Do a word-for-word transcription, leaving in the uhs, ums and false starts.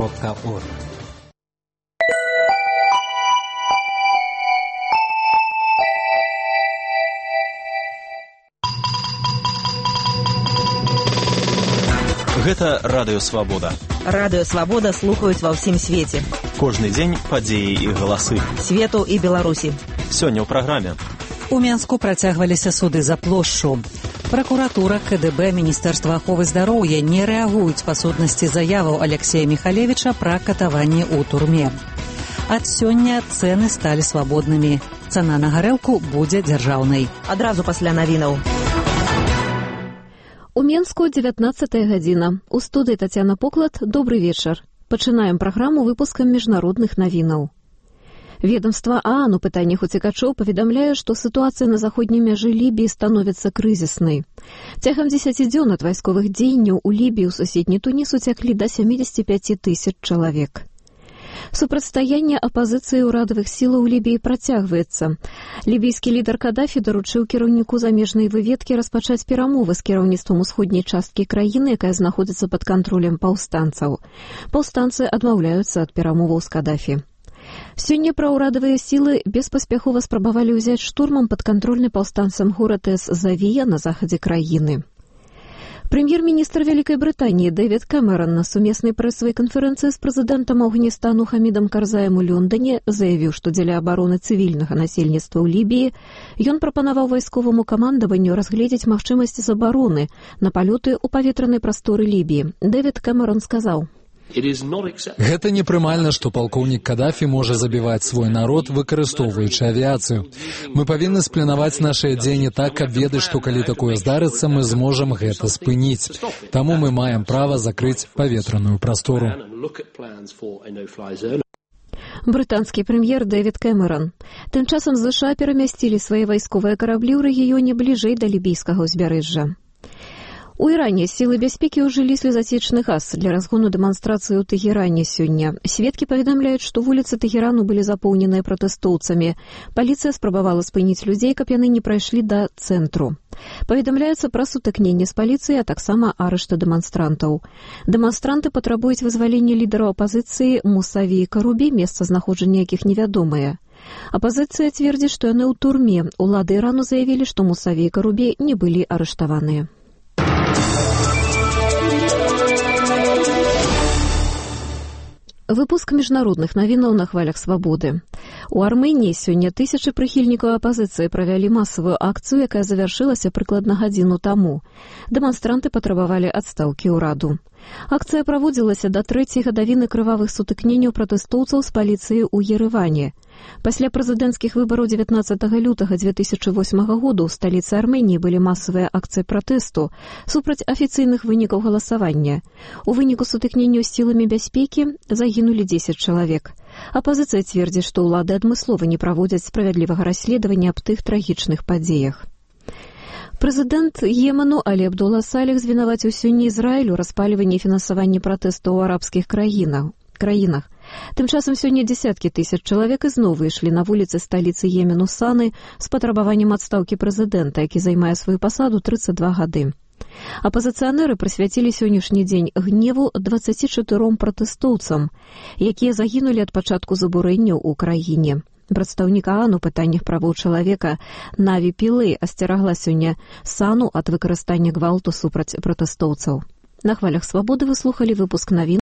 крапка орг. Гэта Радыё Свабода. Радыё Свабода слухаюць ва ўсім свеце. Кожны дзень падзеі і галасы. Свету і Беларусі. Сёння ў праграме. У Менску працягваліся суды за плошчу. Пракуратура, КДБ, Міністэрства аховы здароўя не рэагуюць па сутнасці заяваў Алексея Михалевича пра катаванні ў турме. Ад сёння цэны сталі свабоднымі. Цана на гарэлку будзе дзяржаўнай. Адразу пасля навінаў. У Менску дзевятнаццатая гадзіна. У студыі Тацяна Поклад. Добрый вечар. Пачынаем праграму выпускам міжнародных навінаў. Ведомства ААН у пытаннях уцекачоў паведамляе, што сітуацыя на заходняй мяжы Лібіі становіцца крызіснай. Цягам дзесяці дзён ад вайсковых дзеянняў у Лібіі ў суседні Туніс уцяклі да сямідзесяці пяці тысяч чалавек. Супрацьстаянне апазіцыі ўрадавых сілаў Лібіі працягваецца. Лібійскі лідар Кадафі даручыў кіраўніку замежнай выведкі распачаць перамовы з кіраўніцтвам усходняй часткі краіны, якая знаходзіцца пад кантролем паўстанцаў. Паўстанцы адмаўляюцца ад перамоваў з Кадафі. Сёння праўрадавыя сілы беспаспяхова спрабавалі ўзяць штурмам падкантрольны паўстанцам горад эс-Завія на захадзе краіны. Прэм'ер-міністр Вялікай Брытаніі Дэвід Кэмерон на сумеснай прэсавай канферэнцыі з прэзідэнтам Афганістану Хамідам Карзаем у Лондоне заявіў, што дзеля абароны цывільнага насельніцтва ў Лібіі ён прапанаваў вайсковаму камандаванню разгледзець магчымасці забароны на палёты ў паветранай прасторы Лібіі. Дэвід Кэмерон сказаў: Гэта непрымальна, што палкоўнік Кадафі можа забіваць свой народ, выкарыстоўваючы авіяцыю. Мы павінны спланаваць нашыя дзеянні так, каб ведаць, што калі такое здарыцца, мы зможам гэта спыніць. Таму мы маем права закрыць паветраную прастору. Брытанскі прэм'ер Дэвід Кэмерон. Тым часам ЗША перамясцілі свае вайсковыя караблі ў рэгіёне бліжэй да лібійскага ўзбярэжжа. У Іране сілы бяспекі ўжылі слезацечны газ для разгону дэманстрацыі ў Тэгеране сёння. Сведкі паведамляюць, што вуліцы Тэгерану былі запоўненыя пратэстоўцамі. Паліцыя спрабавала спыніць людзей, каб яны не прайшлі да цэнтру. Паведамляецца пра сутыкненне з паліцыяй, а таксама арышты дэманстрантаў. Дэманстранты патрабуюць вызвалення лідараў апазіцыі Мусаві Карубі, месцазнаходжання якіх невядомае. Апазіцыя цвердзіць, што яны ў турме. Улады Ірану заявілі, што Мусаві Карубі не былі арыштаваныя. Выпуск міжнародных навінаў на хвалях свабоды. У Арменіі сёння тысячы прыхільнікаў апазіцыі правялі масавую акцыю, якая завяршылася прыкладна гадзіну таму. Дэманстранты патрабавалі адстаўкі ўраду. Акцыя праводзілася да трэцяй гадавіны крывавых сутыкненняў пратэстоўцаў з паліцыяй у Ерэване. Пасля прэзідэнцкіх выбараў дзевятнаццатага лютага дзве тысячы восьмага году ў сталіцы Арменіі былі масавыя акцыі пратэсту супраць афіцыйных вынікаў галасавання. У выніку сутыкненняў з сіламі бяспекі загінулі дзесяць чалавек. Апазіцыя цвердзіць, што ўлады адмыслова не праводзяць справядлівага расследавання аб тых трагічных падзеях. Прэзідэнт Йемену Алі Абдулла Саліх звінаваціў сёння Ізраіль у распальванні і фінансаванні пратэстаў у арабскіх краінах. краінах. Тым часам сёння дзесяткі тысяч чалавек ізноў выйшлі на вуліцы сталіцы Йемену Саны з патрабаваннем адстаўкі прэзідэнта, які займае сваю пасаду трыццаць два гады. Апазіцыянеры прысвяцілі сённяшні дзень гневу дваццаці чатыром пратэстоўцам, якія загінулі ад пачатку забурэнняў у краіне. Прадстаўнік ААН у пытаннях правоў чалавека Наві Пілэй асцерагла сёння Сану ад выкарыстання гвалту супраць пратэстоўцаў. На хвалях свабоды вы слухалі выпуск навін